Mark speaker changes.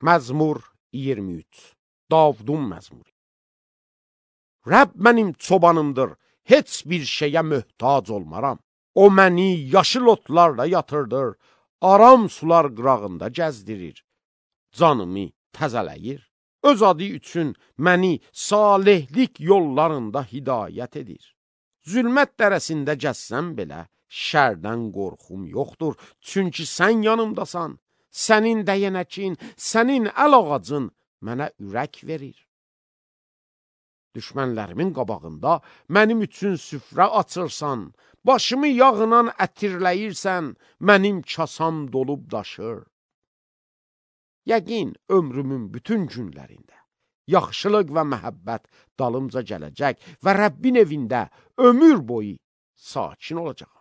Speaker 1: Məzmur 23. Davudun məzmuru. Rəbb mənim çobanımdır, heç bir şeyə möhtac olmaram. O məni yaşıl otlarla yatırdır, aram sular qırağında gəzdirir. Canımı təzələyir. Öz adı üçün məni salihlik yollarında hidayət edir. Zülmət dərəsində gəzsəm belə, şərdən qorxum yoxdur. Çünki sən yanımdasan, sənin dəyənəkin, sənin əl ağacın mənə ürək verir. Düşmənlərimin qabağında mənim üçün süfrə açırsan, başımı yağınan ətirləyirsən, mənim kasam dolub daşır. Yəqin ömrümün bütün günlərində yaxşılıq və məhəbbət dalımca gələcək və Rəbbin evində ömür boyu sakin olacaq.